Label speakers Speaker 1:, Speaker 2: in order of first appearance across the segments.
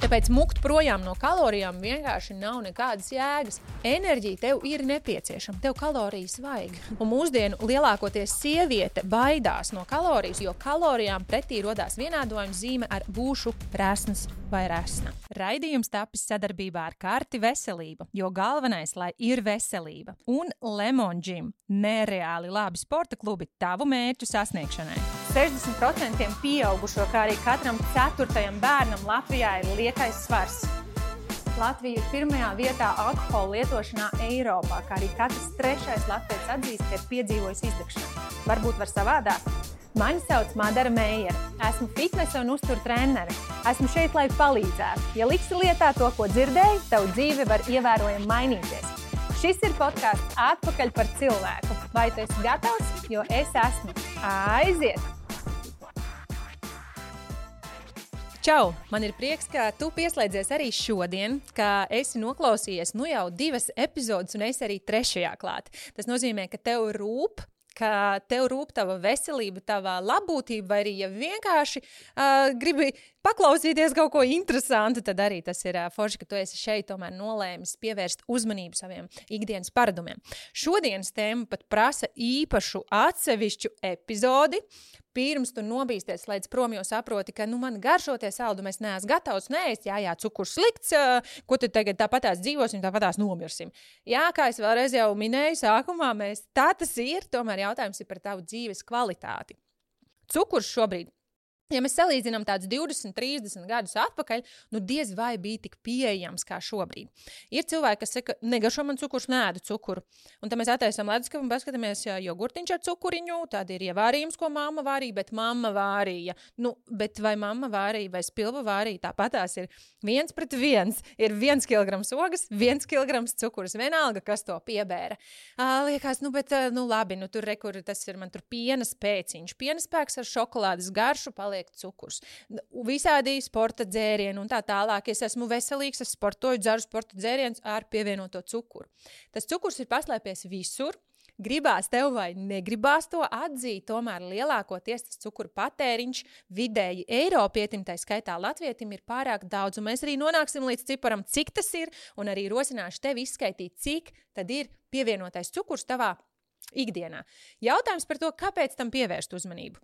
Speaker 1: Tāpēc mukt projām no kalorijām vienkārši nav nekādas jēgas. Enerģija tev ir nepieciešama, tev kalorijas vajag. Un mūsdienu lielākoties sieviete baidās no kalorijas, jo kalorijām pretī rodās vienādojuma zīme ar būšu resns vai resna. Raidījums tapis sadarbībā ar Karti Veselība, jo galvenais, lai ir veselība. Un Lemon Gym – nereāli labi sporta klubi tavu mērķu sasniegšanai. 60% pieaugušo, kā arī katram 4. bērnam Latvijā ir liekais svars. Latvija ir 1. vietā alkohola lietošanā Eiropā, kā arī katrs 3. latvietis atzīst, ka ir piedzīvojis izdegšanu. Varbūt var savādāk? Mani sauc Madara Meijere. Esmu fitnesa un uzturu trenere. Esmu šeit, lai palīdzētu. Ja liksi lietā to, ko dzirdēji, tavu dzīve var ievērojami mainīties. Šis ir podcasts Atpakaļ par cilvēku. Vai tu esi gatavs? Jo es esmu. Aiziet! Čau! Man ir prieks, ka tu pieslēdzies arī šodien, ka esi noklausījies jau 2 epizodes un esi arī 3. klāt. Tas nozīmē, ka tev rūp tava veselība, tava labbūtība, vai arī ja vienkārši gribi paklausīties kaut ko interesantu, tad arī tas ir forši, ka tu esi šeit tomēr nolēmis pievērst uzmanību saviem ikdienas paradumiem. Šodienas tēma pat prasa īpašu atsevišķu epizodi. Pirms tu nobīsties līdz prom, jo saproti, ka man garšo tie saldumi, es neesmu gatavs neēst, jā, cukurs slikts, ko tad tagad tāpatās dzīvosim, tāpatās nomirsim. Jā, kā es vēlreiz jau minēju sākumā, tā tas ir, tomēr jautājums ir par tavu dzīves kvalitāti. Cukurs šobrīd. Ja mēs salīdzinām tādus 20, 30 gadus atpakaļ, diez vai bija tik pieejams kā šobrīd. Ir cilvēki, kas saka, negaršo man cukurs, neēdu cukuru. Un tad mēs attaisam leduskapi un paskatāmies jogurtiņš ar cukuriņu, tad ir ievārījums, ko mamma vārīja, bet mamma vārīja. Bet vai mamma vārīja vai spilva vārīja, tāpatās ir 1:1. Ir 1 kilograms ogas, 1 kilograms cukurs. Vienalga, kas to piebēra. Liekas, labi, tur rekur, tas ir man tur piena spēciņš. Piena spēks ar šokolādes garšu cukurs. Visādi sporta dzērieni un tā tālāk. Es esmu veselīgs, es sportoju, dzeru sporta dzērienus ar pievienoto cukuru. Tas cukurs ir paslēpies visur. Gribās tev vai negribās to atzīt, tomēr lielākoties tas cukuru patēriņš vidēji Eiropietim, tā skaitā latvietim, ir pārāk daudz. Un mēs arī nonāksim līdz ciparam, cik tas ir, un arī rosināšu tevi izskaitīt, cik tad ir pievienotais cukurs tavā ikdienā. Jautājums par to, kāpēc tam pievērst uzmanību.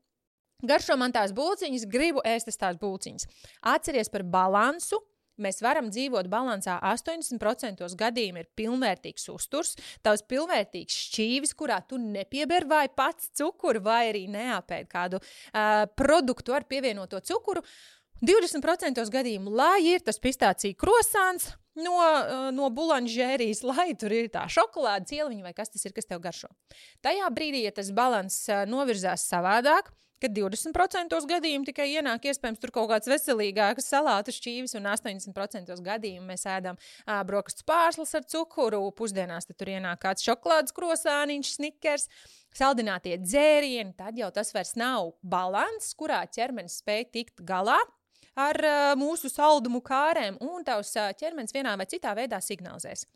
Speaker 1: Garšo man tās bulciņas, gribu ēst tās bulciņas. Atceries par balansu. Mēs varam dzīvot balansā 80% gadījumi ir pilnvērtīgs uzturs, tavs pilnvērtīgs šķīvis, kurā tu nepieber vai pats cukuru, vai arī neapēd kādu produktu ar pievienoto cukuru. 20% gadījumu, lai ir tas pistācija krosāns no bulanžērijas, lai tur ir tā šokolāde, cieliņa vai kas tas ir, kas tev garšo. Tajā brīdī, ja tas balans novirzās savādāk, kad 20% gadījumu tikai ienāk iespējams tur kaut kāds veselīgāks salātu šķīvis un 80% gadījumu mēs ēdam brokastu pārslas ar cukuru, pusdienās tad tur ienāk kāds šokolādes krosāniņš, snikers, saldinātie dzērieni, tad jau tas vairs nav balans, kurā ķermenis spēj tikt galā ar mūsu saldumu kārēm un tavs ķermenis vienā vai citā veidā signalizēs.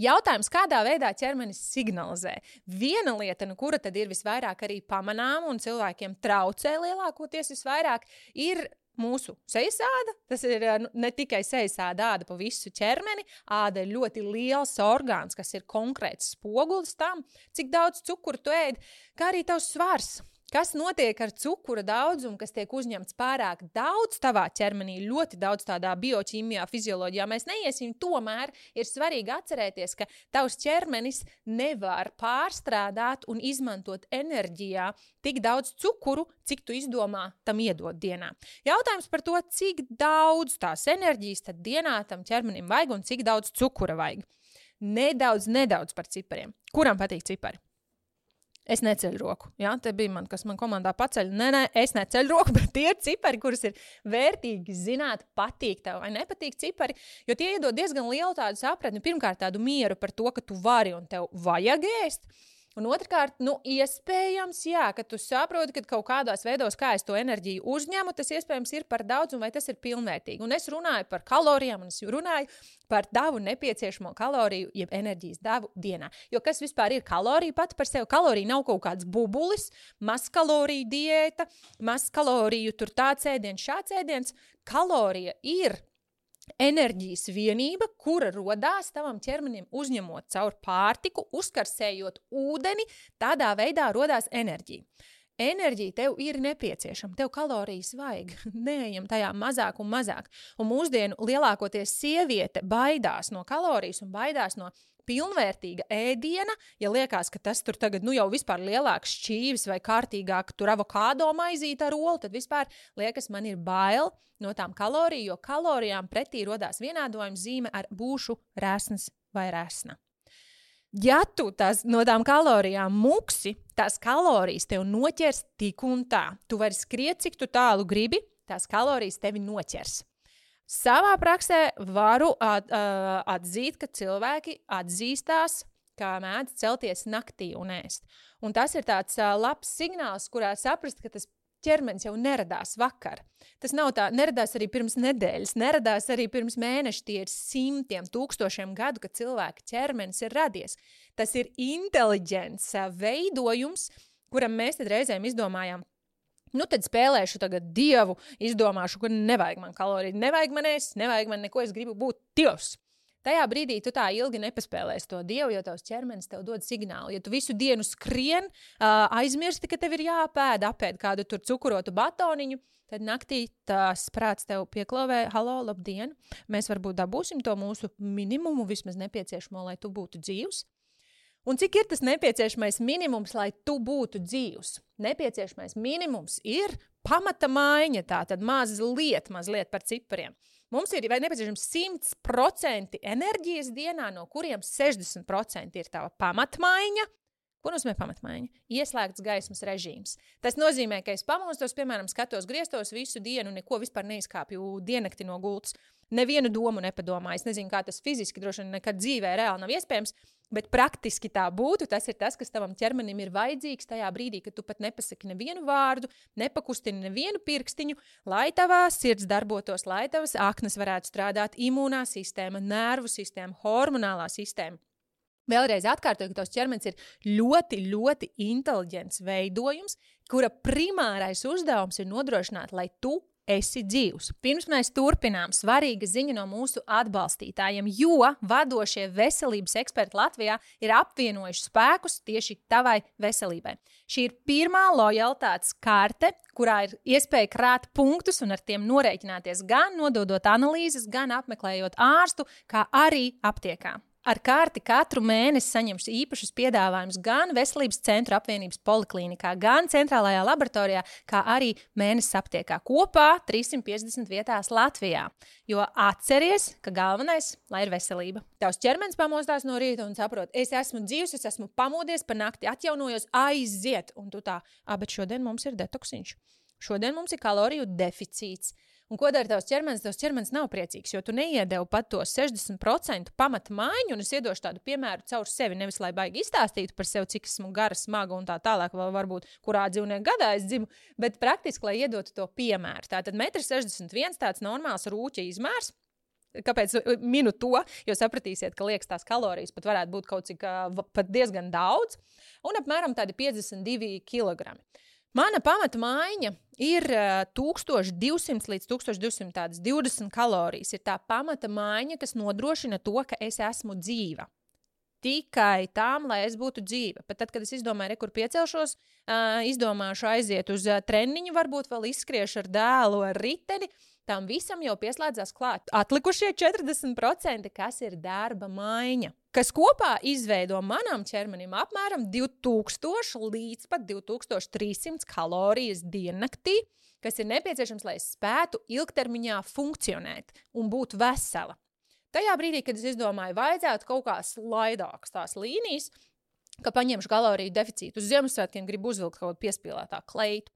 Speaker 1: Jautājums, kādā veidā ķermenis signalizē? Viena lieta, kura tad ir visvairāk arī pamanām un cilvēkiem traucē lielākoties visvairāk, ir mūsu sejas āda. Tas ir ne tikai sejas āda pa visu ķermeni. Āda ir ļoti liels orgāns, kas ir konkrēts spogulis tam, cik daudz cukuru tu ēd, kā arī tavs svars. Kas notiek ar cukura daudzumu, kas tiek uzņemts pārāk daudz tavā ķermenī, ļoti daudz tādā bioķīmijā, fizioloģijā mēs neiesim, tomēr ir svarīgi atcerēties, ka tavs ķermenis nevar pārstrādāt un izmantot enerģijā tik daudz cukuru, cik tu izdomā tam iedot dienā. Jautājums par to, cik daudz tās enerģijas tad dienā tam ķermenim vajag un cik daudz cukura vajag. Nedaudz par cipariem. Kuram patīk cipari? Es neceļu roku. Ja? Te bija kas man komandā paceļ. Nē, es neceļu roku, bet tie ir cipari, kurus ir vērtīgi zināt, patīk tev vai nepatīk cipari, jo tie iedod diezgan lielu tādu sapratni. Pirmkārt, tādu mieru par to, ka tu vari un tev vajag ēst. Un otrkārt, iespējams, ka tu saproti, ka kaut kādās veidos, kā es to enerģiju uzņemu, tas iespējams ir par daudz un vai tas ir pilnvērtīgi. Un es runāju par kalorijām un es runāju par tavu nepieciešamo kaloriju, jeb enerģijas devu dienā. Jo kas vispār ir kalorija pati par sevi? Kalorija nav kaut kāds bubulis, mazkaloriju diēta, mazkaloriju tur tāds ēdiens, šāds ēdiens. Kalorija ir enerģijas vienība, kura rodās tavam ķermenim uzņemot caur pārtiku, uzkarsējot ūdeni, tādā veidā rodās enerģija. Enerģija tev ir nepieciešama, tev kalorijas vajag, neejam tajā mazāk un mazāk. Un mūsdienu lielākoties sieviete baidās no kalorijas un baidās no pilnvērtīga ēdiena, ja liekas, ka tas tur tagad jau vispār lielāks šķīvis vai kārtīgāk tur avokādo maizīte ar olu, tad vispār liekas, man ir bail no tām kalorijām, jo kalorijām pretī rodās vienādojuma zīme ar būšu resns vai resna. Ja tu no tām kalorijām muksi, tās kalorijas tev noķers tik un tā. Tu vari skriet, cik tu tālu gribi, tās kalorijas tevi noķers. Savā praksē varu atzīt, ka cilvēki atzīstās, kā mēdz celties naktī un ēst. Un tas ir tāds labs signāls, kurā saprast, ka tas ķermenis jau neradās vakar. Tas nav tā, neradās arī pirms nedēļas, neradās arī pirms mēneša, tie ir simtiem, tūkstošiem gadu, kad cilvēka ķermenis ir radies. Tas ir inteliģents veidojums, kuram mēs tad reizēm izdomājām, tad spēlēšu tagad dievu, izdomāšu, ka nevajag man kaloriju, nevajag man ēst, nevajag man neko, es gribu būt dievs. Tajā brīdī tu tā ilgi nepaspēlēsi to dievu, jo tavs ķermenis tev dod signālu. Ja tu visu dienu skrien, aizmirsti, ka tev ir apēd kādu tur cukurotu batoniņu, tad naktī tās prāts tev pieklauvē, halo, labdien, mēs varbūt dabūsim to mūsu minimumu, vismaz nepieciešamo, lai tu būtu dzīvs. Un cik ir tas nepieciešamais minimums, lai tu būtu dzīvs? Nepieciešamais minimums ir pamata maiņa, tātad mazliet par cipariem. Mums ir nepieciešams 100% enerģijas dienā, no kuriem 60% ir tava pamatmaiņa. Ko nozīmē pamatmaiņa? Ieslēgts gaismas režīms. Tas nozīmē, ka es pamostos, piemēram, skatos griestos visu dienu, neko vispār neizkāpju diennakti no gultas. Nevienu domu nepadomāju. Es nezinu, kā tas fiziski droši vien nekad dzīvē reāli nav iespējams, bet praktiski tā būtu. Tas ir tas, kas tavam ķermenim ir vajadzīgs tajā brīdī, kad tu pat nepasaki nevienu vārdu, nepakustini nevienu pirkstiņu, lai tavā sirds darbotos, lai tavas aknas varētu strādāt, imūnā sistēma, nervu sistēma, hormonālā sistēma. Vēlreiz atkārtoju, ka tavs ķermenis ir ļoti, ļoti inteliģents veidojums, kura primārais uzdevums ir nodrošināt, lai tu esi dzīvs. Pirms mēs turpinām, svarīga ziņa no mūsu atbalstītājiem, jo vadošie veselības eksperti Latvijā ir apvienojuši spēkus tieši tavai veselībai. Šī ir pirmā lojalitātes karte, kurā ir iespēja krāt punktus un ar tiem norēķināties gan nododot analīzes, gan apmeklējot ārstu, kā arī aptiekā. Ar karti katru mēnesi saņemšu īpašus piedāvājumus gan Veselības centru apvienības poliklīnikā, gan centrālajā laboratorijā, kā arī mēnesis aptiekā. Kopā 350 vietās Latvijā. Jo atceries, ka galvenais, lai ir veselība. Tavs ķermenis pamostās no rīta un saprot, es esmu dzīvs, es esmu pamodies par nakti, atjaunojos, aiziet. Un tu tā, bet šodien mums ir detoksiņš. Šodien mums ir kaloriju deficīts. Un ko dara tavs ķermenis? Tavs ķermenis nav priecīgs, jo tu neiedevi pat to 60% pamata maiņu, un es iedošu tādu piemēru caur sevi, nevis lai baigi izstāstītu par sevi, cik esmu gara, smaga un tā tālāk, vai varbūt kurā dzīvnieku gadā es dzimu, bet praktiski, lai iedotu to piemēru. Tātad 1,61 m tāds normāls rūķa izmērs. Kāpēc minu to? Jo sapratīsiet, ka liekas tās kalorijas pat varētu būt kaut cik pat diezgan daudz, un apmēram tādi 52 kg. Mana pamata maiņa ir 1200 līdz 1220 kalorijas. Ir tā pamata maiņa, kas nodrošina to, ka es esmu dzīva. Tikai tām, lai es būtu dzīva. Pat tad, kad es izdomāju, kur piecelšos, izdomāšu aiziet uz treniņu, varbūt vēl izskriešu ar dēlu ar riteni, tam visam jau pieslēdzās klāt. Atlikušie 40%, kas ir darba maiņa, kas kopā izveido manam ķermenim apmēram 2000 līdz pat 2300 kalorijas diennaktī, kas ir nepieciešams, lai es spētu ilgtermiņā funkcionēt un būt vesela. Tajā brīdī, kad es izdomāju, vajadzētu kaut kā slaidākas tās līnijas, ka paņemšu kaloriju deficītu. Uz Ziemassvētkiem gribu uzvilkt kaut kādu piespīlētā kleitu.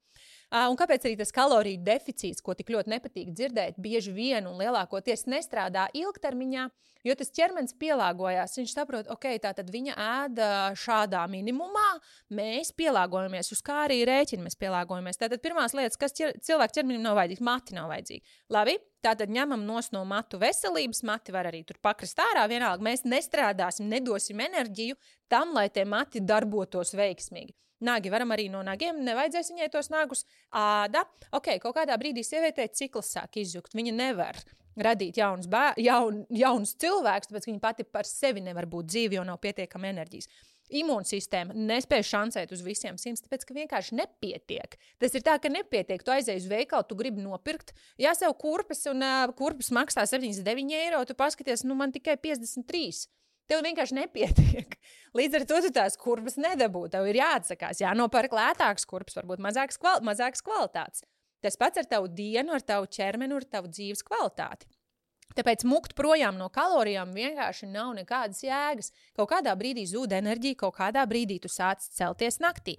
Speaker 1: Un kāpēc arī tas kaloriju deficīts, ko tik ļoti nepatīk dzirdēt, bieži vien un lielākoties nestrādā ilgtermiņā, jo tas ķermenis pielāgojās. Viņš saprot, tātad viņa ēda šādā minimumā, mēs pielāgojamies, uz kā arī rēķini mēs pielāgojamies. Tātad pirmās lietas, kas cilvēku ķermenim nav vajadzīgs, mati nav vajadzīgi. Labi, tātad ņemam nos no matu veselības, mati var arī tur pakrist ārā, vienalga mēs nestrādāsim, nedosim enerģiju tam, lai tie mati darbotos veiksmīgi. Nagi varam arī no nagiem, nevajadzēs viņai tos nagus. Āda, kaut kādā brīdī sievietei cikls sāk izjukt. Viņa nevar radīt jaunus cilvēkus, tāpēc, ka viņi pati par sevi nevar būt dzīvi, jo nav pietiekama enerģijas. Imūnsistēma nespēja šancēt uz visiem 100, tāpēc, ka vienkārši nepietiek. Tas ir tā, ka nepietiek. Tu aizēji uz veikalu, tu gribi nopirkt, sev kurpes, un kurpes maksā 79 eiro, tu paskaties, man tikai 53. Tev vienkārši nepietiek. Līdz ar to tu tās kurpes nedabū. Tev ir jāatsakās, jānopērk lētākas kurpes, varbūt mazākas kvalitātes. Tas pats ar tavu dienu, ar tavu ķermeni, ar tavu dzīves kvalitāti. Tāpēc mukt projām no kalorijām vienkārši nav nekādas jēgas. Kaut kādā brīdī zūd enerģija, kaut kādā brīdī tu sāc celties naktī.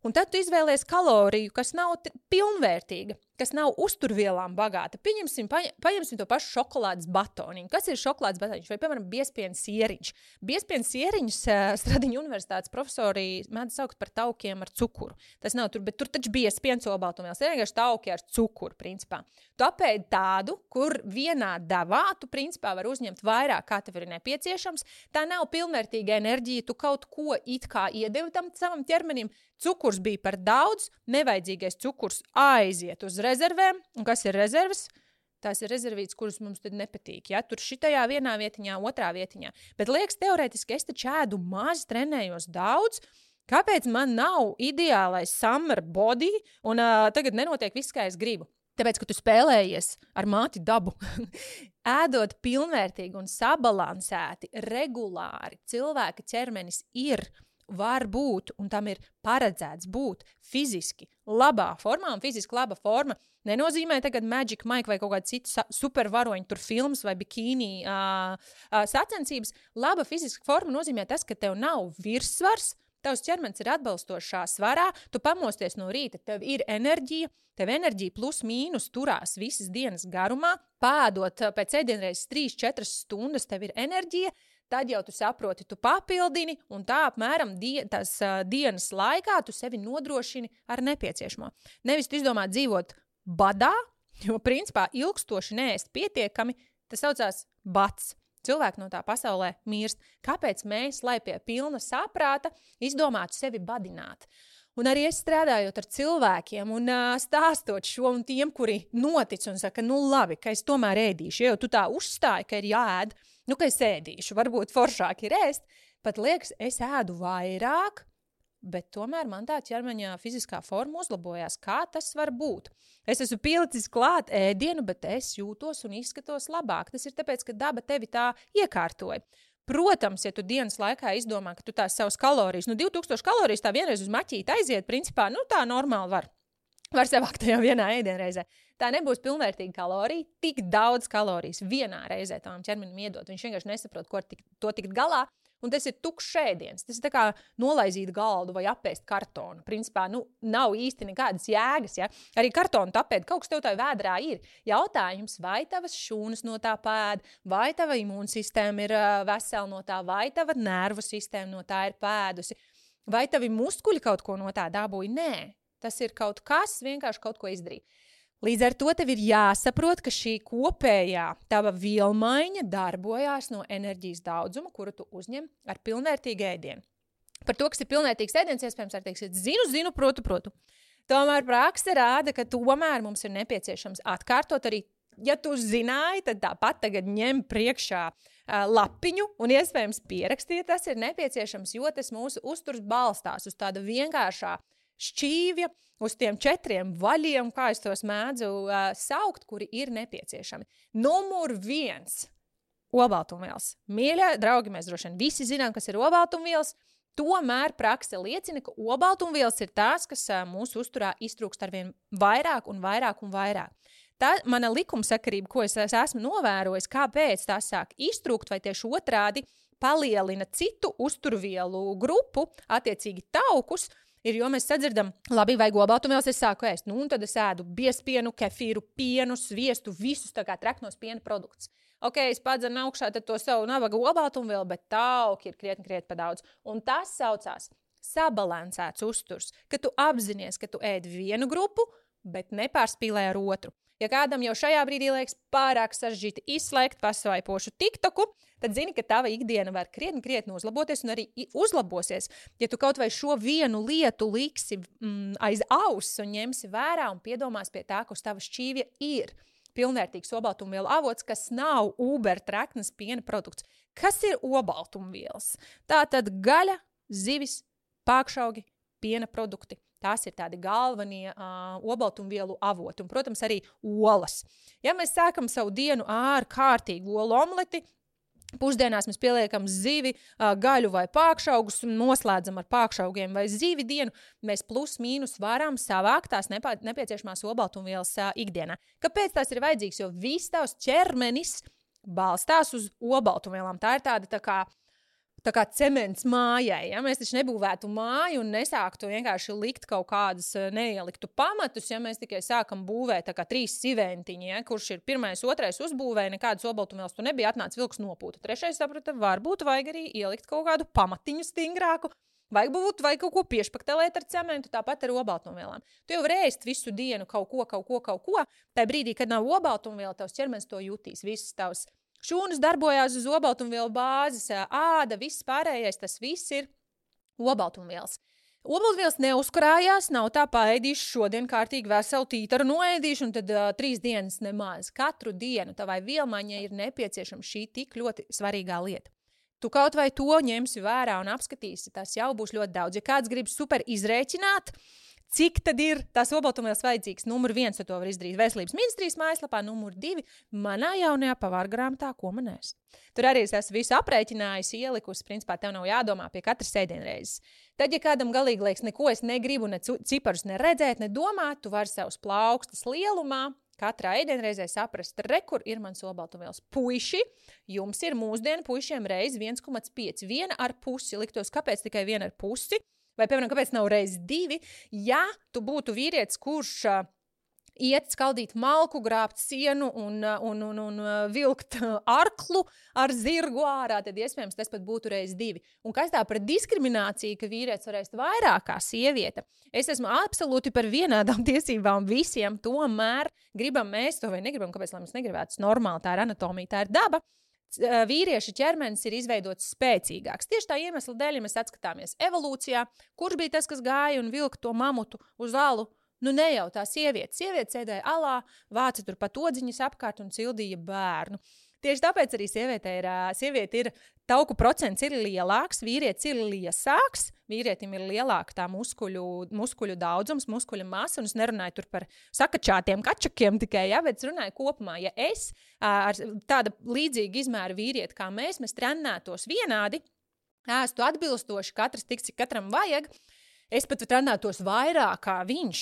Speaker 1: Un tad tu izvēlies kaloriju, kas nav pilnvērtīga, kas nav uzturvielām bagāta. Paņemsim to pašu šokolādes batoniņu. Kas ir šokolādes batoniņš? Vai, piemēram, biezpienas sieriņš? Biezpienas sieriņus Stradiņu universitātes profesori mēdz saukt par taukiem ar cukuru. Tas nav tur, bet tur taču biezpienas olbaltumvielas. Ir vienkārši tauki ar cukuru, principā. Tu apēdi tādu, kur vienā devā tu, principā, var uzņemt vairāk, kā tev ir nepieciešams. Tā nav pilnvērtīga enerģija, tu kaut ko it kā iedevi tam savam ķermenim. Cukurs bija par daudz, nevajadzīgais cukurs aiziet uz rezervēm. Un kas ir rezerves? Tās ir rezervītes, kuras mums tad nepatīk. Ja? Tur šitajā vienā vietiņā, otrā vietiņā. Bet liekas, teorētiski es taču ēdu maz, trenējos daudz. Kāpēc man nav ideālais summer body un tagad nenotiek viss, kā es gribu? Tāpēc, ka tu spēlējies ar māti dabu. Ēdot pilnvērtīgi un sabalansēti, regulāri, cilvēka ķermenis var būt, un tam ir paredzēts būt fiziski labā formā, un fiziski laba forma nenozīmē tagad Magic Mike vai kaut kāda cita supervaroņa tur filmas vai bikīni sacensības. Laba fiziska forma nozīmē tas, ka tev nav virssvars, tavs ķermenis ir atbalstošā svarā, tu pamosties no rīta, tev ir enerģija, tev enerģija plus mīnus turās visas dienas garumā, pēdot pēc ēdienreizes 3-4 stundas, tev ir enerģija, tad jau tu saproti, tu papildini, un tā apmēram dienas laikā tu sevi nodrošini ar nepieciešamo. Nevis tu izdomā dzīvot badā, jo principā ilgstoši neēst pietiekami, tas saucās bats. Cilvēki no tā pasaulē mirst. Kāpēc mēs, lai pie pilna saprāta, izdomātu sevi badināt? Un arī es strādājot ar cilvēkiem un stāstot šo un tiem, kuri notic un saka, labi, ka es tomēr ēdīšu, jo tu tā uzstāji, ka ir jāēd, ka es ēdīšu, varbūt foršāk ir ēst, pat liekas, es ēdu vairāk, bet tomēr man tā ķermeņa fiziskā forma uzlabojās. Kā tas var būt? Es esmu pielicis klāt ēdienu, bet es jūtos un izskatos labāk. Tas ir tāpēc, ka daba tevi tā iekārtoja. Protams, ja tu dienas laikā izdomā, ka tu tās savas kalorijas, 2000 kalorijas tā vienreiz uz maķīti aiziet, principā, tā normāli var savākt tajā vienā ēdienreizē. Tā nebūs pilnvērtīga kalorija, tik daudz kalorijas vienā reizē tavam ķermenim iedot. Viņš vienkārši nesaprot, ko to tikt galā, un tas ir tukšs ēdiens. Tas ir tā kā nolaizīt galdu vai apēst kartonu. Principā, nav īsti nekādas jēgas, ja? Arī kartonu tapēt, kaut kas tev tā vēdrā ir. Jautājums, vai tavas šūnas no tā pēd, vai tava imūnsistēma ir vesela no tā, vai tava nervu sistēma no tā ir pēdusi, vai tavi muskuļi kaut ko no tā dabūja? Nē, tas ir kaut kas, vienkārši kaut ko izdarīt. Līdz ar to tev ir jāsaprot, ka šī kopējā tava vielmaiņa darbojās no enerģijas daudzuma, kuru tu uzņem ar pilnvērtīgu ēdienu. Par to, kas ir pilnvērtīgs ēdiens, iespējams, var teikt, zinu, protu. Tomēr prakse rāda, ka tomēr mums ir nepieciešams atkārtot arī, ja tu zināji, tad tāpat tagad ņem priekšā lapiņu un iespējams pierakstiet, tas ir nepieciešams, jo tas mūsu uzturs balstās uz tāda vienkāršā šķīvja, uz tiem 4 vaļiem, kā es tos mēdzu saukt, kuri ir nepieciešami. Numur 1 – olbaltumvielas. Mīļie draugi, mēs droši vien visi zinām, kas ir olbaltumvielas. Tomēr prakse liecina, ka olbaltumvielas ir tās, kas mūsu uzturā iztrūkst arvien vairāk un vairāk un vairāk. Tā mana likumsakarība, ko es esmu novērojis, kāpēc tās sāk iztrūkt vai tieši otrādi palielina citu uzturvielu grupu, attiecīgi taukus, ir, jo mēs sadzirdam, labi, vajag olbaltumvielas, es sāku ēst, un tad es ēdu biezpienu, kefīru, pienu, sviestu, visus tā kā treknos piena produktus. Ok, es padzenu augšā tad to savu nabaga olbaltumvielu, bet tauki ir krietni pa daudz. Un tas saucās sabalansēts uzturs, ka tu apzinies, ka tu ēd vienu grupu, bet nepārspīlē ar otru. Ja kādam jau šajā brīdī liekas pārāk sarežģīti izslēgt pasvaipošu TikToku, tad zini, ka tava ikdiena var krietni uzlaboties un arī uzlabosies. Ja tu kaut vai šo vienu lietu liksi aiz auss un ņemsi vērā un piedomās pie tā, kas tava šķīvja ir. pilnvērtīgs olbaltumvielu avots, kas nav Uber treknas piena produkts. Kas ir olbaltumvielas? Tātad gaļa, zivis, pākšaugi, piena produkti. Tās ir tādi galvenie olbaltumvielu avoti. Un, protams, arī olas. Ja mēs sākam savu dienu ar kārtīgu olu omleti, pusdienās mēs pieliekam zivi, gaļu vai pākšaugus, noslēdzam ar pākšaugiem vai zivi dienu, mēs plus mīnus varam savākt tās nepieciešamās olbaltumvielas ikdienā. Kāpēc tās ir vajadzīgs? Jo viss tavs ķermenis balstās uz olbaltumvielām. Tā ir tā kā cements mājai. Ja? Mēs taču nebūvētu māju un nesāktu vienkārši likt kaut kādus neieliktu pamatus, ja mēs tikai sākam būvēt tā kā 3 siventiņi, ja? Kurš ir 1, 2 uzbūvēja, nekādas olbaltumvielas tu nebija, atnāca vilks nopūta. 3. saprata, varbūt vajag arī ielikt kaut kādu pamatiņu stingrāku, vajag kaut ko piešpaktelēt ar cementu, tāpat ar olbaltumvielām. Tu jau vari ēst visu dienu kaut ko. Tā brīdī, kad nav olbaltumviela, tavs ķermenis to jutīs, visas tavs šūnas darbojās uz olbaltumvielu bāzes, āda, viss pārējais, tas viss ir olbaltumvielas. Olbaltumvielas neuzkrājās, nav tā paēdīšu šodien kārtīgi veselu tītaru noēdīšu un tad 3 dienas nemaz. Katru dienu tavai vielmaiņai ir nepieciešama šī tik ļoti svarīgā lieta. Tu kaut vai to ņemsi vērā un apskatīsi, tas jau būs ļoti daudz. Ja kāds grib super izrēķināt, cik tad ir tās olbaltumvielas vajadzīgs? Numur 1, to var izdarīt Veselības ministrijas mājaslapā, numur 2, manā jaunajā pavāra grāmatā, ko man ēst. Tur arī es esmu visu aprēķinājusi, ielikusi, principā tev nav jādomā pie katras ēdienreizes. Tad, ja kādam galīgi liekas, neko es negribu, ne ciparus neredzēt, ne domāt, tu vari savus plaukstas lielumā katrā ēdienreizē saprast, kur ir mans olbaltumvielas. Puiši, jums ir mūsdienu puišiem reiz 1,5, 1,5, liktos, kāpēc tikai 1,5? Vai, piemēram, kāpēc nav reiz 2? Ja tu būtu vīrietis, kurš iet skaldīt malku, grābt sienu un vilkt arklu ar zirgu ārā, tad iespējams tas pat būtu reiz 2. Un kas tā par diskrimināciju, ka vīrietis var ēst vairāk kā sieviete? Es esmu absolūti par vienādām tiesībām visiem, tomēr gribam mēs to vai negribam, kāpēc lai mēs negribētu? Tas normāli, tā ir anatomija, tā ir daba. Vīrieša ķermenis ir izveidots spēcīgāks. Tieši tā iemesla dēļ, ja mēs atskatāmies evolūcijā, kurš bija tas, kas gāja un vilka to mamutu uz alu? Nu ne jau tā sieviete. Sieviete sēdēja alā, vāca tur pat odziņas apkārt un cildīja bērnu. Tieši tāpēc arī sieviete ir tauku procents ir lielāks, vīrietis ir liesāks, vīrietim ir lielāka tā muskuļu daudzums, muskuļu masa, un es nerunāju tur par sakačātiem kačakiem tikai, ja, bet es runāju kopumā. Ja es ar tāda līdzīga izmēra vīrieti kā mēs trenētos vienādi, ēstu atbilstoši, katrs tik, cik katram vajag, es pat trenētos vairāk kā viņš.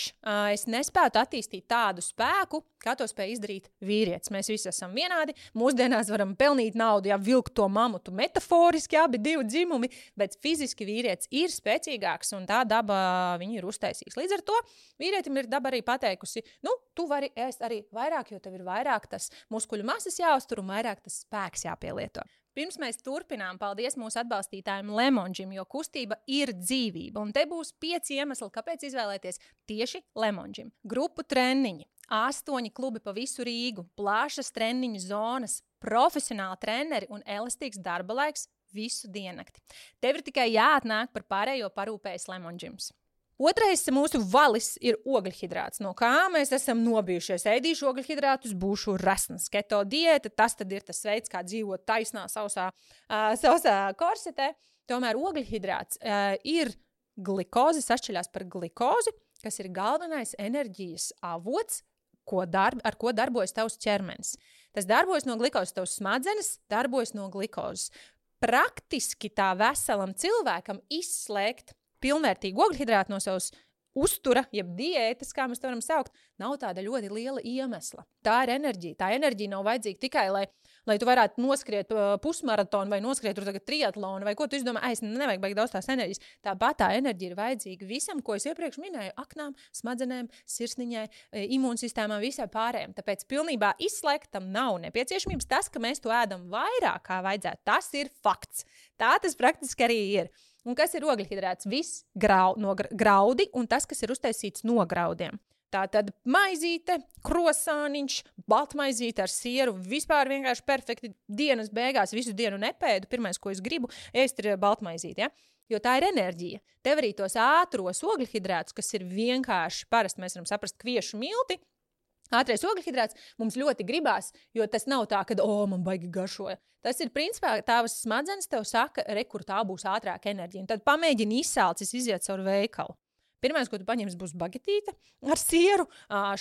Speaker 1: Es nespētu attīstīt tādu spēku, kā to spēj izdarīt vīrietis. Mēs visi esam vienādi. Mūsdienās varam pelnīt naudu, ja vilkt to mamutu metaforiski, abi 2 dzimumi, bet fiziski vīrietis ir spēcīgāks un tā daba viņu ir uztaisījis. Līdz ar to vīrietim ir daba arī pateikusi, tu vari ēst arī vairāk, jo tev ir vairāk tas muskuļu masas jāuztur un vairāk tas spēks jāpielieto. Pirms mēs turpinām, paldies mūsu atbalstītājiem Lemon Gym, jo kustība ir dzīvība. Un te būs 5 iemesli, kāpēc izvēlēties tieši Lemon Gym. Grupu treniņi, 8 klubi pa visu Rīgu, plašas treniņu zonas, profesionāli treneri un elastīgs darba laiks visu diennakti. Tev ir tikai jāatnāk, par pārējo parūpējas Lemon Gyms. Otrais mūsu valis ir ogļhidrāts. No kā mēs esam nobijušies? Ēdīšu ogļhidrātus, būšu resns. Keto diēta, tas tad ir tas veids, kā dzīvot taisnā, sausā korsetē. Tomēr ogļhidrāts ir glikozi, sašķeļās par glikozi, kas ir galvenais enerģijas avots, ar ko darbojas tavs ķermenis. Tas darbojas no glikozes, tavs smadzenes darbojas no glikozes. Praktiski tā veselam cilvēkam izslēgt pilnvērtīgu ogļhidrātu no savas uztura, jeb diētas, kā mēs to varam saukt, nav tāda ļoti liela iemesla. Tā ir enerģija. Tā enerģija nav vajadzīga tikai, lai tu varētu noskriet pusmaratonu vai noskriet tur tagad triatlonu vai ko tu izdomā, es nevajag baigi daudz tās enerģijas. Tāpat tā enerģija ir vajadzīga visam, ko es iepriekš minēju, aknām, smadzenēm, sirsniņai, imūnsistēmām, visai pārējiem. Tāpēc pilnībā izslēgt tam nav nepieciešamības. Tas, ka mēs to ēdam vairāk kā vajadzētu, tas ir fakts. Tā tas praktiski arī ir. Un kas ir ogļhidrāts? Viss no graudi un tas, kas ir uztaisīts no graudiem. Tā tad maizīte, krosāniņš, baltmaizīte ar sieru, vispār vienkārši perfekti dienas beigās, visu dienu nepēdu. Pirmais, ko es gribu, ēst ir baltmaizīte, ja? Jo tā ir enerģija. Tev arī tos ātros ogļhidrātus, kas ir vienkārši parasti, mēs varam saprast kviešu milti, Ātrais ogļhidrāts mums ļoti gribās, jo tas nav tā, ka, man baigi garšoja. Tas ir, principā, tavas smadzenes tev saka, kur tā būs ātrāka enerģija. Un tad pamēģini izsācis iziet caur veikalu. Pirmais, ko tu paņemsi, būs bagetīte ar sieru,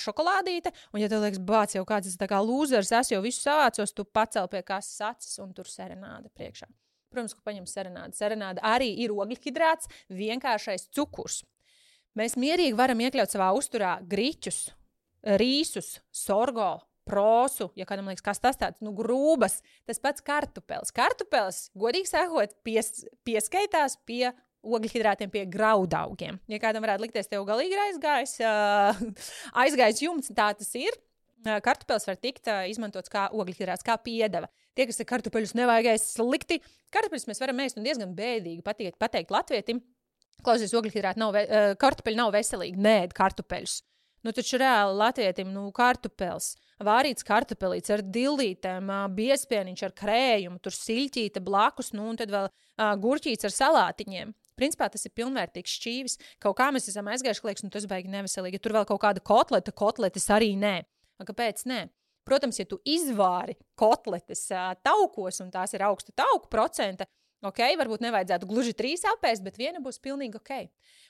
Speaker 1: šokolādīte. Un, ja tev liekas, bāc, jau kāds tas tā kā lūzers, es jau visu savācos, tu pacel pie kases acis un tur serenāde priekšā. Protams, ka paņem serenādi. Serenāde arī ir ogļhidrāts, vienkāršais cukurs. Mēs mierīgi varam iekļaut savā uzturā griķus, rīsus, sorgo, prosu, ja kādam liekas, kas tas tāds, grūbas, tas pats kartupelis. Kartupelis, godīgi sakot, pieskaitās pie ogļhidrātiem, pie graudaugiem. Ja kādam varētu likties, tev galīgi ir aizgājis jumts, tā tas ir. Kartupelis var tikt izmantots kā ogļhidrāts, kā piedeva. Tie, kas ir kartupeļus nevajag ēst slikti, kartupeļus mēs varam ēst un diezgan bēdīgi pateikt latvietim. Klausies, kartupeļi nav veselīgi, neēd kartupeļus. Taču reāli latvietim, kartupels, vārīts kartupelīts ar dillītēm, biespieniņš ar krējumu, tur siļķīte blakus, un tad vēl gurķīts ar salātiņiem. Principā tas ir pilnvērtīgs šķīvis. Kaut kā mēs esam aizgājuši, ka liekas, tas baigi neveselīgi. Ja tur vēl kaut kāda kotletes arī nē. Kāpēc nē? Protams, ja tu izvāri kotletes taukos, un tās ir augsta tauku procenta, varbūt nevajadzētu gluži 3 apēst, bet viena būs pilnīgi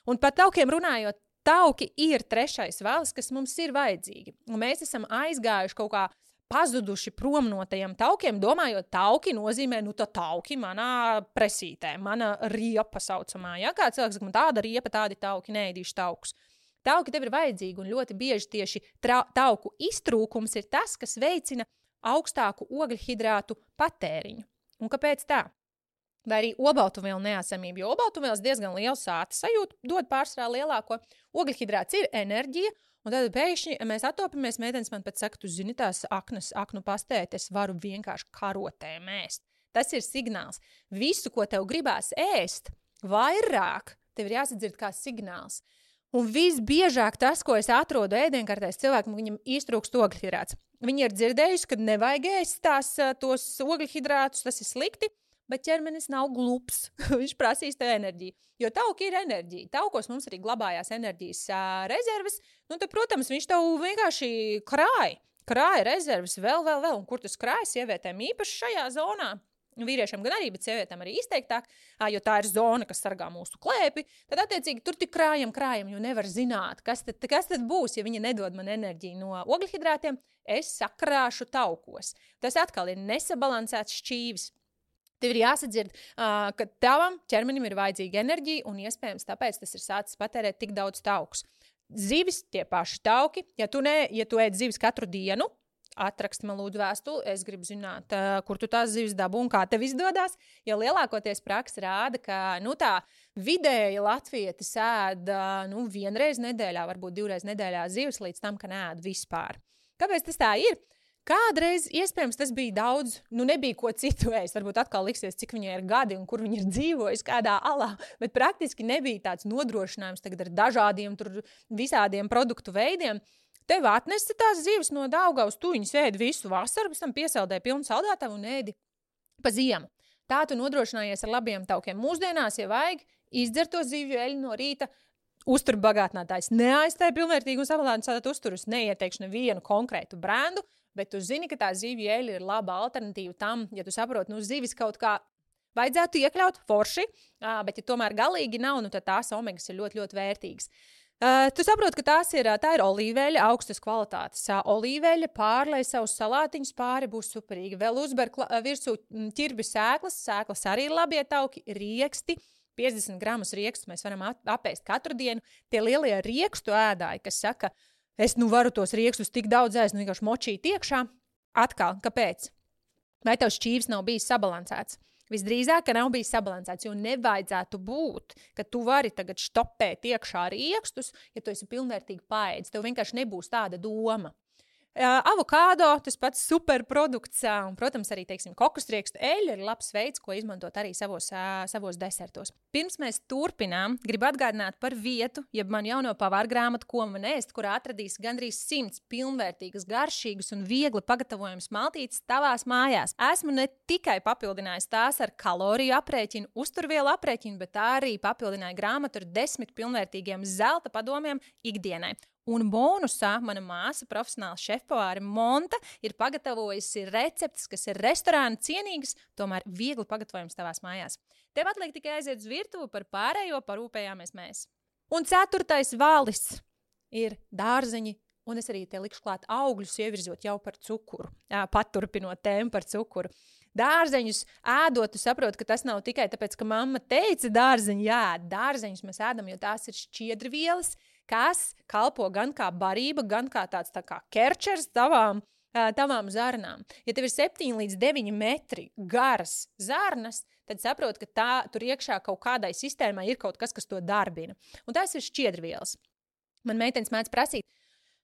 Speaker 1: Un par taukiem runājot, tauki ir trešais valis, kas mums ir vajadzīgi. Un mēs esam aizgājuši kaut kā pazuduši prom no tajiem taukiem, domājot, tauki nozīmē, tā tauki manā presītē, mana riepa saucamā. Ja? Kā cilvēks saka, man tāda riepa, tādi tauki, neēdīšu taukus. Tauki tev ir vajadzīgi, un ļoti bieži tieši tauku iztrūkums ir tas, kas veicina augstāku ogļhidrātu patēriņu. Un kāpēc tā? Vai arī olbaltumvielu neesamību, jo olbaltumvielas diezgan lielu sāta sajūtu, dod pārsvarā lielāko. Ogļhidrāts ir enerģija, un tad pēkšņi mēs atopamies, meitenes man pat saka, tu zini tās aknu pastēt, es varu vienkārši karotēm ēst. Tas ir signāls. Visu, ko tev gribās ēst, vairāk, tev ir jāsadzird kā signāls. Un visbiežāk tas, ko es atrodu ēdienkartēs cilvēkam, viņam iztrūkst ogļhidrāts. Viņi ir dzirdējuši, ka nevajag ēst tos ogļhidrātus, tas ir slikti. Bet ķermenis nav glups. Viņš prasīs tev enerģiju. Jo tauki ir enerģija. Taukos mums arī glabājās enerģijas rezerves. Tad, protams, viņš tev vienkārši krāja rezerves vēl. Un kur tas krāja sievietēm īpaši šajā zonā? Vīriešiem gan arī, bet sievietēm arī izteiktāk, jo tā ir zona, kas sargā mūsu klēpi. Tad, attiecīgi, tur tik krājam, jo nevar zināt, kas tad būs, ja viņi nedod man enerģiju no ogļhidrātiem. Es sakrāšu taukos. Tas atkal ir nesabalansēts šķīvis. Tev ir jāsadzird, ka tavam ķermenim ir vajadzīga enerģija, un iespējams tāpēc tas ir sācis patērēt tik daudz taukus. Zivis, tie paši tauki, ja tu ēd zivis katru dienu, atraksti man lūdzu vēstuli, es gribu zināt, kur tu tās zivis dabū un kā tev izdodas, jo lielākoties praksa rāda, ka tā vidēji latvietis ēd vienreiz nedēļā, varbūt 2 reizes nedēļā zivis līdz tam, ka neēd vispār. Kāpēc tas tā ir? Kādreiz, iespējams, tas bija daudz, nebija ko citu ēst, varbūt atkal liksies, cik viņai ir gadi un kur viņa ir dzīvojusi, kādā alā, bet praktiski nebija tāds nodrošinājums tagad ar dažādiem tur visādiem produktu veidiem. Tev atnesa tās zivis no Daugavas, tu viņas ēdi visu vasaru, pēc tam piesaldēji pilnu saldētavu un ēdi pa ziemu. Tā tu nodrošinājies ar labiem taukiem. Mūsdienās, ja vajag, izdzer to zivju eļu no rīta, uzturbagātinātājs neaizstāja pilnvērtīgi un sabalansētu uzturus, neieteikšu nevienu konkrētu brendu, bet tu zini, ka tā zivju eļļa ir laba alternatīva tam, ja tu saproti, zivis kaut kā vajadzētu iekļaut forši, bet ja tomēr galīgi nav, tad tās omegas ir ļoti, ļoti vērtīgas. Tu saproti, ka tā ir olīveļa, augstas kvalitātes. Olīveļa pārlej savus salātiņus pāri, būs superīgi. Vēl uzber virsū ķirbju sēklas arī ir labie tauki, rieksti. 50 gramus riekstus mēs varam apēst katru dienu. Tie lielie riekstu ēdāji, kas saka, es varu tos riekstus tik daudz ēst, vienkārši močīt iekšā. Atkal, kāpēc? Vai tev šķīvis nav bijis sabalansēts? Visdrīzāk, ka nav bijis sabalansēts, jo nevajadzētu būt, ka tu vari tagad štopēt iekšā riekstus, ja tu esi pilnvērtīgi paēdis. Tev vienkārši nebūs tāda doma. Avokādo, tas pats superprodukts, un, protams, arī, kokosriekstu eļļa ir labs veids, ko izmantot arī savos desertos. Pirms mēs turpinām, gribu atgādināt par vietu, jeb man jauno pavāru grāmatu, ko man ēst, kurā atradīs gandrīz 100 pilnvērtīgas, garšīgas un viegli pagatavojamas maltītes tavās mājās. Esmu ne tikai papildinājis tās ar kaloriju aprēķinu, uzturvielu aprēķinu, bet arī papildināju grāmatu ar 10 pilnvērtīgiem zelta padomiem ikdienai. Un bonusā mana māsa, profesionāla šefpavāre Monta, ir pagatavojusi receptes, kas ir restorāna cienīgas, tomēr viegli pagatavojams tavās mājās. Tev atliek tikai aiziet uz virtuvi, par pārējo parūpējāmies mēs. Un 4. valis ir dārzeņi, un es arī te likšu klāt augļus, ievirzot jau par cukuru, paturpinot tēmu par cukuru. Dārzeņus ēdot, tu saproti, ka tas nav tikai tāpēc, ka mamma teica dārzeņi, jā, dārzeņus mēs ēdam, jo tās ir šķiedrvielas, kas kalpo gan kā barība, gan kā tāds tā kā kerčers tavām zarnām. Ja tev ir 7 līdz 9 metri garas zarnas, tad saproti, ka tur iekšā kaut kādai sistēmai ir kaut kas, kas to darbina. Un tās ir šķiedrvielas. Man meitenes mēdz prasīt,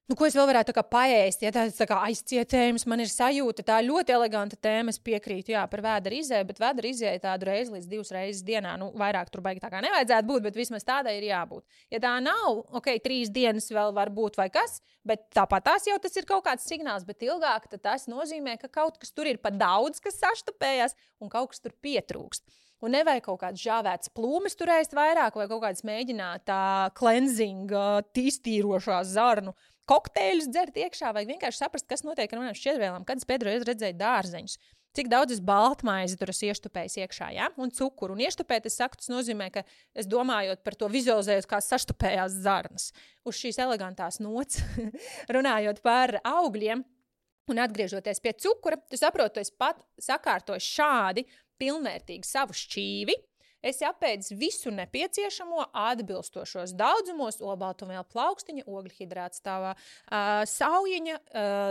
Speaker 1: ko es vēl varētu tā kā paēst, ja tāds tā kā aizcietējums, man ir sajūta, tā ļoti eleganta tēma, es piekrītu, jā, par vēdera izēju, bet vēdera izēju tādu reizi līdz 2 reizes dienā, vairāk tur baigi tā kā nevajadzētu būt, bet vismaz tādai ir jābūt. Ja tā nav, 3 dienas vēl var būt vai kas, bet tāpat tās jau tas ir kaut kāds signāls, bet ilgāk, tad tas nozīmē, ka kaut kas tur ir pa daudz, kas saštapējās, un kaut kas tur pietrūkst. Un nevajag kaut kāds žāvēts plūmes tur ēst vairāk, vai kaut kāds mēģināt cleansing, iztīrošās zarnu kokteļus dzert iekšā, vai vienkārši saprast, kas notiek ar manām šķiedrvielām, kad es pēdējo reizi redzēju dārzeņus. Cik daudz es baltmaizi tur esmu ieštupējis iekšā, ja? Un cukuru. Un ieštupēt, es saku, tas nozīmē, ka es domājot par to vizualizējot, kā saštupējās zarnas. Uz šīs elegantās nots, runājot par augļiem un atgriežoties pie cukura, tu saproti, tu esi pat sakārtojis šādi pilnvērtīgi savu šķīvi. Es apēdzu visu nepieciešamo atbilstošos daudzumos, olbaltumvielu plaukstiņa, ogļhidrāts tavā saujiņa,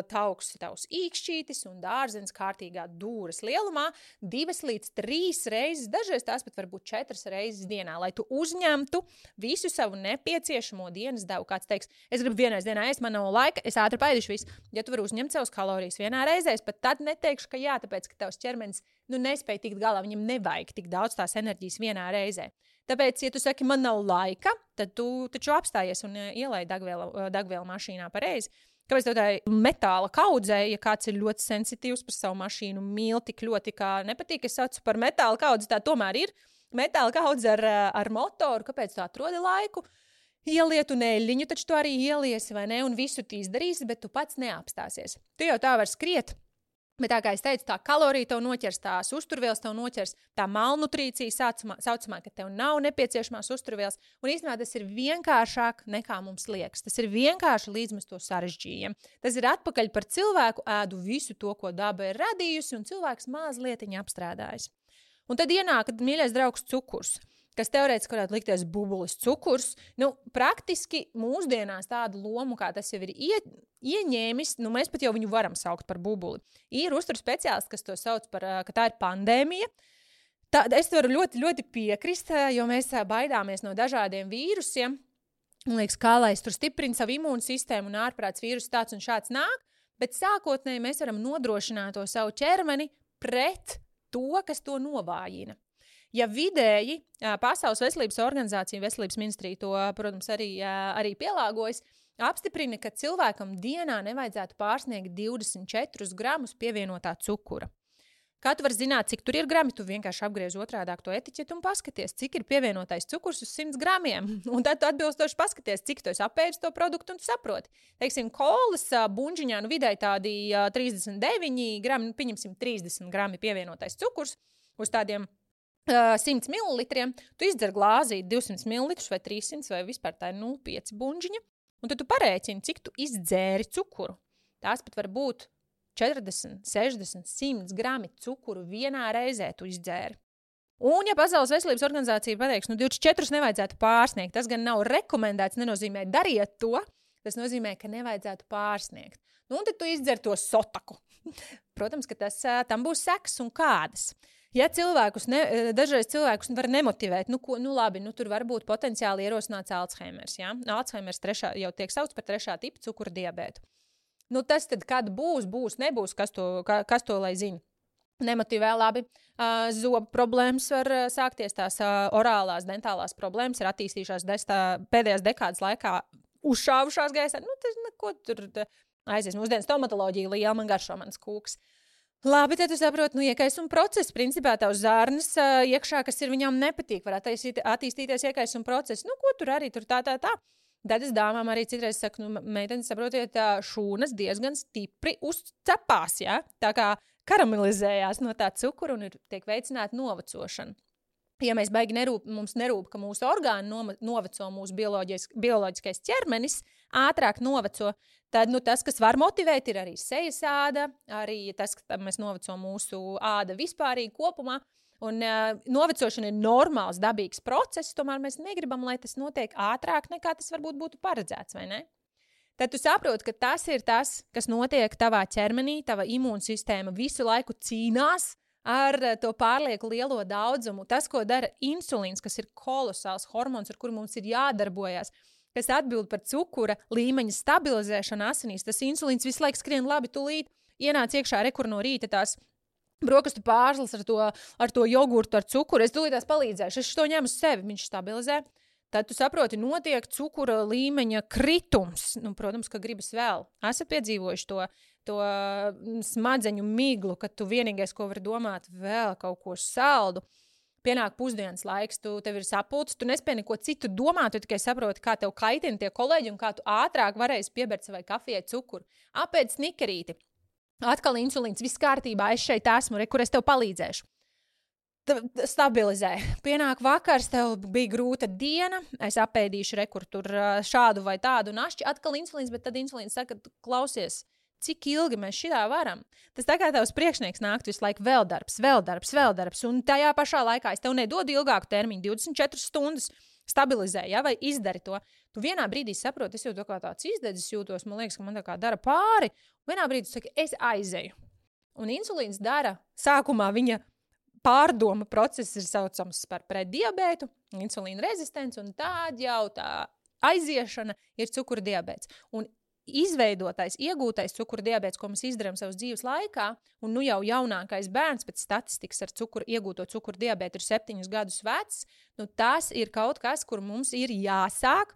Speaker 1: tavs īkšķītis un dārzenis kārtīgā dūres lielumā 2 līdz 3 reizes, dažreiz tās pat varbūt 4 reizes dienā, lai tu uzņemtu visu savu nepieciešamo dienas devu. Kāds teiks, es gribu vienreiz dienā ēst, man nav laika, es ātri paēdīšu visu. Ja tu vari uzņemt savus kalorijas vienā reizē, es pat tad neteikšu, ka jā, tāpēc, ka tavs ķermenis nespēja tikt galā, viņam nevajag tik daudz tās enerģijas vienā reizē. Tāpēc, ja tu saki, man nav laika, tad tu taču apstājies un ielai degvielu mašīnā pareizi. Kāpēc tev tā metāla kaudzē, ja kāds ir ļoti sensitīvs par savu mašīnu, mīl tik ļoti, kā nepatīk, es saucu par metāla kaudzi, tā tomēr ir metāla kaudze ar motoru, kāpēc tu atrodi laiku? Ieliet un eļļiņu, taču tu arī ieliesi, vai ne, un visu tu izdarīsi, bet tu pats neapstāsies. Tu jau tā var skriet. Bet tā kā es teicu, tā kalorija tev noķers, tās uzturvielas tev noķers, tā malnutrīcija saucamā, ka tev nav nepieciešamās uzturvielas. Un īstenībā tas ir vienkāršāk nekā mums liekas. Tas ir vienkārši līdz mēs to sarežģījam. Tas ir atpakaļ par cilvēku, ēdu visu to, ko daba ir radījusi, un cilvēks mazlietiņa apstrādājas. Un tad ienāk, mīļais draugs, cukurs, kas teorētiski varētu likties bubulis cukurs. Praktiski mūsdienās tādu lomu, kā tas jau ir ieņēmis, mēs pat jau viņu varam saukt par bubuli. Ir uzturu speciālisti, kas to sauc par, ka tā ir pandēmija. Es varu ļoti, ļoti piekrist, jo mēs baidāmies no dažādiem vīrusiem. Man liekas, kā lai es tur stiprinu savu imūnsistēmu un ārprāts vīrus tāds un šāds nāk, bet sākotnēji mēs varam nodrošināt to savu ķermeni pret to, kas to novājina. Ja vidēji Pasaules veselības organizācija, veselības ministrija to, protams, arī pielāgojas, apstiprina, ka cilvēkam dienā nevajadzētu pārsniegt 24 gramus pievienotā cukura. Kā tu vari zināt, cik tur ir grami, tu vienkārši apgriež otrādāk to etiķetu un paskaties, cik ir pievienotais cukurs uz 100 gramiem. Un tad tu atbilstoši paskaties, cik tu esi apēdis to produktu un tu saproti. Teiksim, kolas buņģiņā vidēji tādi 39 grami, pieņemsim 30 grami pievienotais cukurs uz tādiem 100 mililitriem, tu izdzer glāzī 200 mililitrus vai 300 vai vispār tā ir 0,5 buņģiņa, un tad tu parēķini, cik tu izdzēri cukuru. Tās pat var būt 40, 60, 100 grami cukuru vienā reizē tu izdzēri. Un, ja Pasaules veselības organizācija pateiks, 24 nevajadzētu pārsniegt, tas gan nav rekomendēts, nenozīmē dariet to, tas nozīmē, ka nevajadzētu pārsniegt. Un tad tu izdzer to sotaku. Protams, ka tam būs sekas un kādas. Ja dažreiz cilvēkus var nemotivēt, labi, tur var būt potenciāli ierosināts Alzheimers. Ja? Alzheimers jau tiek sauc par 3. tipa cukura diabētu. Tas tad, kad būs, nebūs, kas to lai zina. Nemotivē labi. Zobu problēmas var sākties, tās orālās, dentālās problēmas ir attīstījušās pēdējās dekādas laikā uzšāvušās gaisā. Ko tur aizies? Mūsdien stomatoloģija liela, man garšo mans kūks. Labi, tad tu saproti, iekaisuma process, principā tavs zārnas iekšā, kas ir viņām nepatīk, var attīstīties iekaisuma process. Ko tur arī tur tā. Tad es dāmām arī citreiz saku, meitenes, saprotiet, šūnas diezgan stipri uzcepās, ja? Tā kā karamelizējās no tā cukura un tiek veicināta novecošana. Ja mēs baigi mums nerūp, ka mūsu orgāni noveco, mūsu bioloģiskais ķermenis ātrāk noveco, tad tas, kas var motivēt, ir arī sejas āda, arī tas, ka mēs noveco mūsu āda vispārīgi kopumā. Un novecošana ir normāls, dabīgs process, tomēr mēs negribam, lai tas notiek ātrāk, nekā tas varbūt būtu paredzēts, vai ne? Tad tu saproti, ka tas ir tas, kas notiek tavā ķermenī, tava imūnsistēma visu laiku cīnās ar to pārlieku lielo daudzumu. Tas, ko dara insulīns, kas ir kolosāls hormons, ar kuru mums ir jādarbojas, kas atbild par cukura līmeņa stabilizēšanu asinīs. Tas insulīns visu laiku skrien labi, tūlīt ienāc iekšā rekur no rīta tās brokastu pārslas ar to jogurtu, ar cukuru. Es tūlītās palīdzēšu, es to ņemu uz sevi, viņš stabilizē. Tad tu saproti, notiek cukura līmeņa kritums. Protams, ka gribas vēl. Esat piedzīvojuši to smadzeņu miglu, kad tu vienīgais, ko vari domāt, vēl kaut ko saldu. Pienāk pusdienas laiks, tev ir sapulcs, tu nespēji neko citu domāt, tu tikai saproti, kā tev kaitina tie kolēģi un kā tu ātrāk varēsi piebert savai kafijai cukuru. Apēd snikerīti. Atkal insulīns, viss kārtībā, es šeit esmu, kur es tev palīdzēšu. Stabilizē. Pienāk vakars, tev bija grūta diena, es apēdīšu tur šādu vai tādu našķi, atkal insulīns, bet tad insulīns saka, klausies, cik ilgi mēs šitā varam. Tas tā kā tavs priekšnieks nākt visu laiku vēl darbs, un tajā pašā laikā es tev nedodu ilgāku termiņu, 24 stundas stabilizē, ja, vai izdari to. Tu vienā brīdī saproti, es jau tā kā tāds izdedzis jūtos, man liekas, ka man tā kā dara pāri, un vienā brīdī tu saki, es aizeju. Un insulīns dara, sākumā viņa pārdoma process ir saucams par preddiabētu, insulīna rezistents, un tād jau tā aiziešana ir cukura diabēts. Un izveidotais, iegūtais cukura diabēts, ko mēs izdarām savas dzīves laikā, un jau jaunākais bērns pēc statistikas ar iegūto cukura diabētu ir 7 gadus vecs, tas ir kaut kas, kur mums ir jāsāk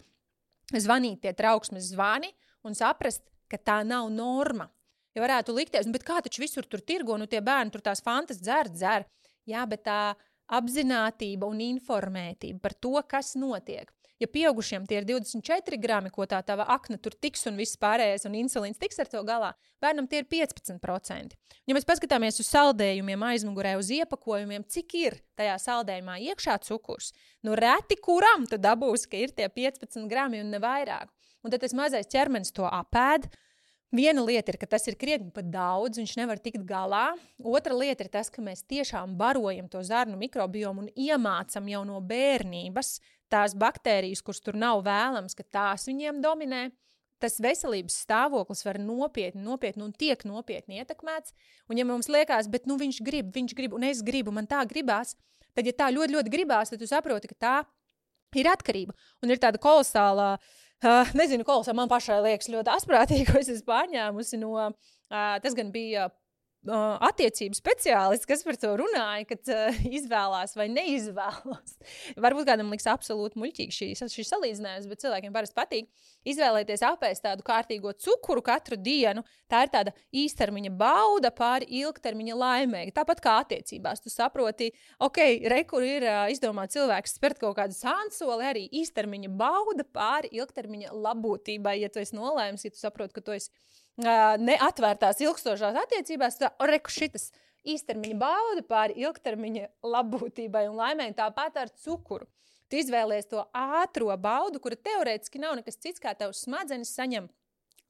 Speaker 1: zvanīt tie trauksmes zvani un saprast, ka tā nav norma. Ja varētu likties, bet kā taču visur tur tirgo, tie bērni tur tās fantas dzer. Jā, bet tā apzinātība un informētība par to, kas notiek. Ja pieaugušiem tie ir 24 grami, ko tā tava akna tur tiks un viss pārējais, un insulīns tiks ar to galā, bērnam tie ir 15%. Ja mēs paskatāmies uz saldējumiem aizmugurē, uz iepakojumiem, cik ir tajā saldējumā iekšā cukurs, reti kuram tu dabūsi, ka ir tie 15 grami un ne vairāk. Un tad tas mazais ķermenis to apēd. Viena lieta ir, ka tas ir krietni pat daudz, viņš nevar tikt galā. Otra lieta ir tas, ka mēs tiešām barojam to zarnu mikrobiomu un iemācam jau no bērnības tās baktērijas, kuras tur nav vēlams, ka tās viņiem dominē. Tas veselības stāvoklis var nopietni un tiek nopietni ietekmēts. Un ja mums liekas, bet viņš grib, un es gribu, man tā gribās, tad ja tā ļoti, ļoti gribās, tad tu saproti, ka tā ir atkarība. Un ir tāda kolosālā, man pašai liekas ļoti asprātīgi, ko es esmu pārņēmusi no, tas gan bija attiecību speciālists, kas par to runāja, kad izvēlās vai neizvēlās. Varbūt kādam liks absolūti muļķīgi šī salīdzinājums, bet cilvēkiem parasti patīk izvēlēties apēst tādu kārtīgo cukuru katru dienu. Tā ir tāda īstermiņa bauda pāri ilgtermiņa laimēji. Tāpat kā attiecībās. Tu saproti, kur ir izdomāt cilvēks spērt kaut kādu sānsoli, arī īstermiņa bauda pāri ilgtermiņa labūtībai. Ja tu esi nolēmis, ja tu saproti, ka tu esi neatvērtās ilgstošās attiecībās, šitas īstermiņa bauda pāri ilgtermiņa labbūtībai un laimēji, tāpat ar cukuru. Tu izvēlies to ātro baudu, kura teorētiski nav nekas cits, kā tavs smadzenes saņem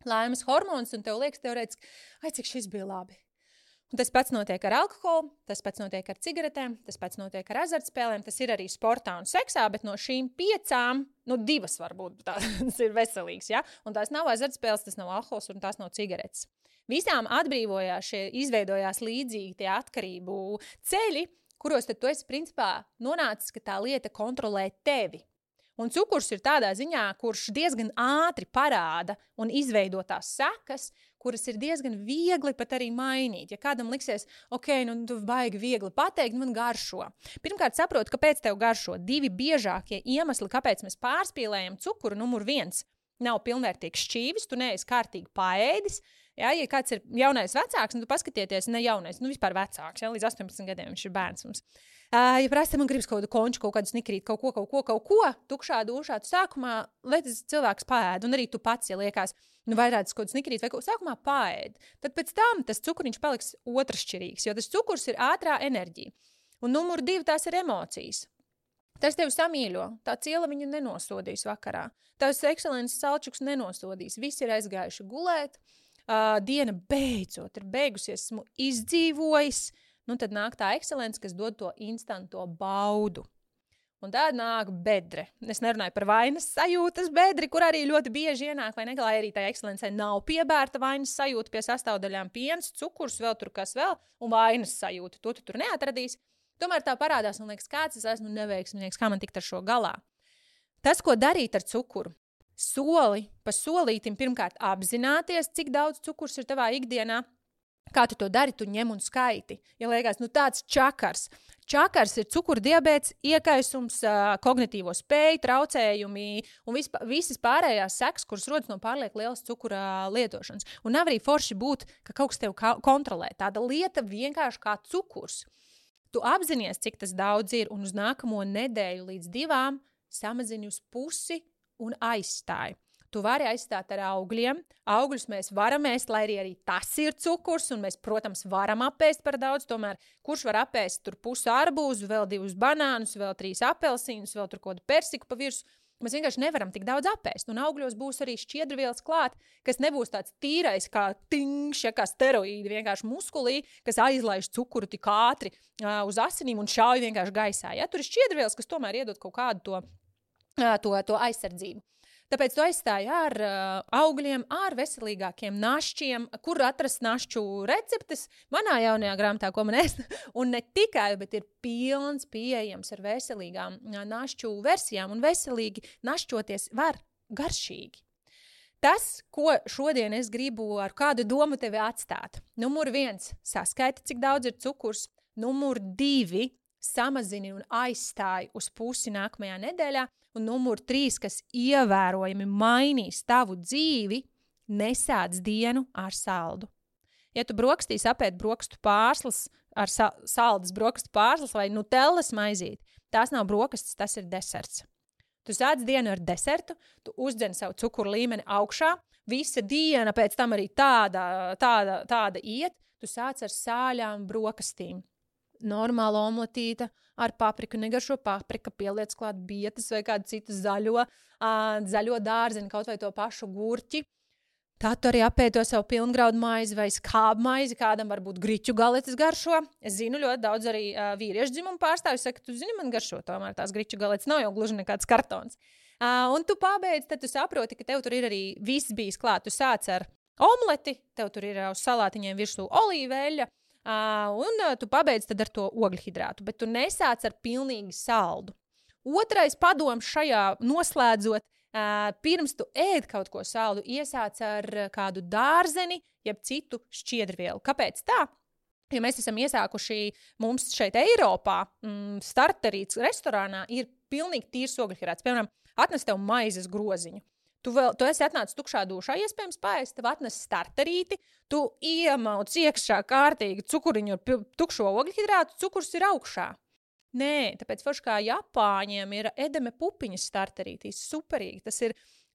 Speaker 1: laimes hormonus, un tev liekas teorētiski, cik šis bija labi. Un tas pats notiek ar alkoholu, tas pats notiek ar cigaretēm, tas pats notiek ar azartspēlēm, tas ir arī sportā un seksā, bet no šīm 5, 2 varbūt tās ir veselīgas, ja? Un tās nav azartspēles, tas nav alkohols un tās nav cigaretes. Visām atbrīvojās izveidojās līdzīgi tie atkarību ceļi, kuros tad tu esi principā nonācis, ka tā lieta kontrolē tevi. Un cukurs ir tādā ziņā, kurš diezgan ātri parāda un izveido tās sekas, kuras ir diezgan viegli pat arī mainīt. Ja kādam liksies, tu baigi viegli pateikt, man garšo. Pirmkārt saproti, kāpēc tev garšo. 2 biežākie iemesli, kāpēc mēs pārspīlējam cukuru, numur 1. Nav pilnvērtīgs šķīvis, tu neesi kārtīgi paēdis, Ja kāds ir jaunais vecāks, tu paskatieties, ne jaunais, vispār vecāks, līdz 18 gadiem viņš ir bērns mums. Ja prasa, man gribas kaut kādu konču, kaut kādu snikrīt, kaut ko, tukšā dušā, tu sākumā, lai tas cilvēks paēd, un arī tu pats, ja liekas, vairāk kaut kādu snikrīt, vai sākumā paēd, tad pēc tam tas cukuriņš paliks otršķirīgs, jo tas cukurs ir ātrā enerģija. Un numur 2 tās ir emocijas. Tas tevi samīļo, tā ciela viņu nenosodīs vakarā. Tavs ekscelences salčuks nenosodīs. Visi ir aizgājuši gulēt, diena beidzot ir beigusies, esmu izdzīvojis, tad nāk tā ekscelence, kas dod to instanto baudu. Un tā nāk bedre. Es nerunāju par vainas sajūtas bedri, kur arī ļoti bieži ienāk, vai ne, lai arī tā ekscelencei nav piebērta vainas sajūta pie sastāvdaļām piens, cukurs, vēl tur kas vēl, un vainas sajūta. To tu tur neatradīs. Tomēr tā parādās, un liekas, kāds es esmu neveiksminieks, kā man tikt ar šo galā. Tas, ko darīt ar cukuru, soli pa solītim pirmkārt apzināties, cik daudz cukurs ir tavā ikdienā. Kā tu to dari, tu ņem un skaiti. Ja liekas, tāds čakars. Čakars ir cukurdiabēts, iekaisums, kognitīvo spēju, traucējumi un visas pārējās sekas, kuras rodas no pārlieku lielas cukura lietošanas. Un nav arī forši būt, ka kaut kas tev kontrolē. Tāda lieta vienkārši kā cukurs. Tu apzinies, cik tas daudz ir, un uz nākamo nedēļu līdz 2 samazini uz pusi un aizstāji. Tu vari aizstāt ar augļiem. Augļus mēs varam ēst, lai arī tas ir cukurs, un mēs, protams, varam apēst par daudz. Tomēr, kurš var apēst tur pusi arbūzu, vēl 2 banānus, vēl 3 apelsīnus, vēl tur kaut kādu persiku pa virsmu. Mēs vienkārši nevaram tik daudz apēst. Un augļos būs arī šķiedrvielas klāt, kas nebūs tāds tīrais kā tingš, kā steroīdi, vienkārši muskulī, kas aizlaiž cukuru tik ātri uz asinīm un šauj vienkārši gaisā. Ja? Tur ir šķiedrvielas, kas tomēr iedod kaut kādu to aizsardzību. Tāpēc tu aizstāji ar augļiem, ar veselīgākiem našķiem, kur atrast našķu receptes manā jaunajā grāmatā, ko man ēst. Un ne tikai, bet ir pilns pieejams ar veselīgām našķu versijām, un veselīgi našķoties var garšīgi. Tas, ko šodien es gribu ar kādu domu tevi atstāt. Numur 1, saskaiti, cik daudz ir cukurs. Numur 2, samazini un aizstāji uz pusi nākamajā nedēļā. Un numur 3, kas ievērojami mainīs tavu dzīvi, nesāc dienu ar saldu. Ja tu brokastīs apēd brokstu pārslas ar saldas brokastu pārslas vai nutellas maizīti, tās nav brokastis, tas ir deserts. Tu sāc dienu ar desertu, tu uzdzen savu cukuru līmeni augšā, visa diena pēc tam arī tāda iet, tu sāc ar sāļām brokastīm. Normāla omletīte ar papriku, negaršo paprika, pieliec klāt bietas vai kādu citu zaļo dārzeni, kaut vai to pašu gurķi. Tad tu arī apēd to savu pilngraudu maizi vai skābu maizi, kādam varbūt griķu galetes garšo. Es zinu, ļoti daudz arī vīriešu dzimumu pārstāvju saka, tu zini, man garšo tomēr tās griķu galetes, nav jau gluži nekāds kartons. Un tu pabeidz, tad tu saproti, ka tev tur ir arī viss bijis klāt. Tu sāc ar omleti, tev tur ir uz salātiņiem virsū olīveļa, un tu pabeidz tad ar to ogļhidrātu, bet tu nesāc ar pilnīgi saldu. Otrais padoms šajā noslēdzot, pirms tu ēd kaut ko saldu, iesāc ar kādu dārzeni, jeb citu šķiedrvielu. Kāpēc tā? Ja mēs esam iesākuši mums šeit Eiropā, starterīts restorānā ir pilnīgi tīrs ogļhidrāts. Piemēram, atnes tev maizes groziņu. Tu esi atnācis tukšā dušā, iespējams paēst, tev atnes starterīti, tu iemauc iekšā kārtīgi cukuriņu ar tukšo ogļhidrātu, cukurs ir augšā. Nē, tāpēc forši kā Japāņiem ir edeme pupiņas starterītīs, superīgi.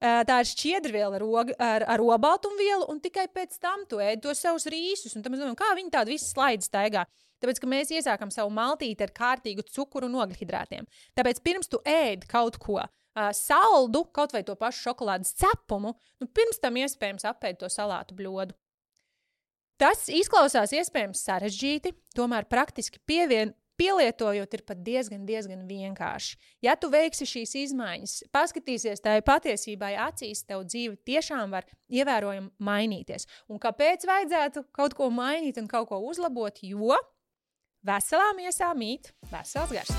Speaker 1: Tā ir šķiedrviela ar obaltumvielu, un tikai pēc tam tu ēd to savus rīsus. Un tam es domāju, kā viņi tādu visu slaidi staigā. Tāpēc, ka mēs iesākam savu maltīti ar kārtīgu cukuru un ogļhidrātiem. Tāpēc pirms tu ēd kaut ko saldu, kaut vai to pašu šokolādes cepumu, pirms tam iespējams apēd to salātu bļodu. Tas izklausās iespējams sarežģīti, tomēr praktiski pielietojot ir pat diezgan vienkārši. Ja tu veiksi šīs izmaiņas, paskatīsies tai patiesībai acīs, tev dzīve tiešām var ievērojami mainīties. Un kāpēc vajadzētu kaut ko mainīt un kaut ko uzlabot? Jo veselā miesā mīt vesels gars.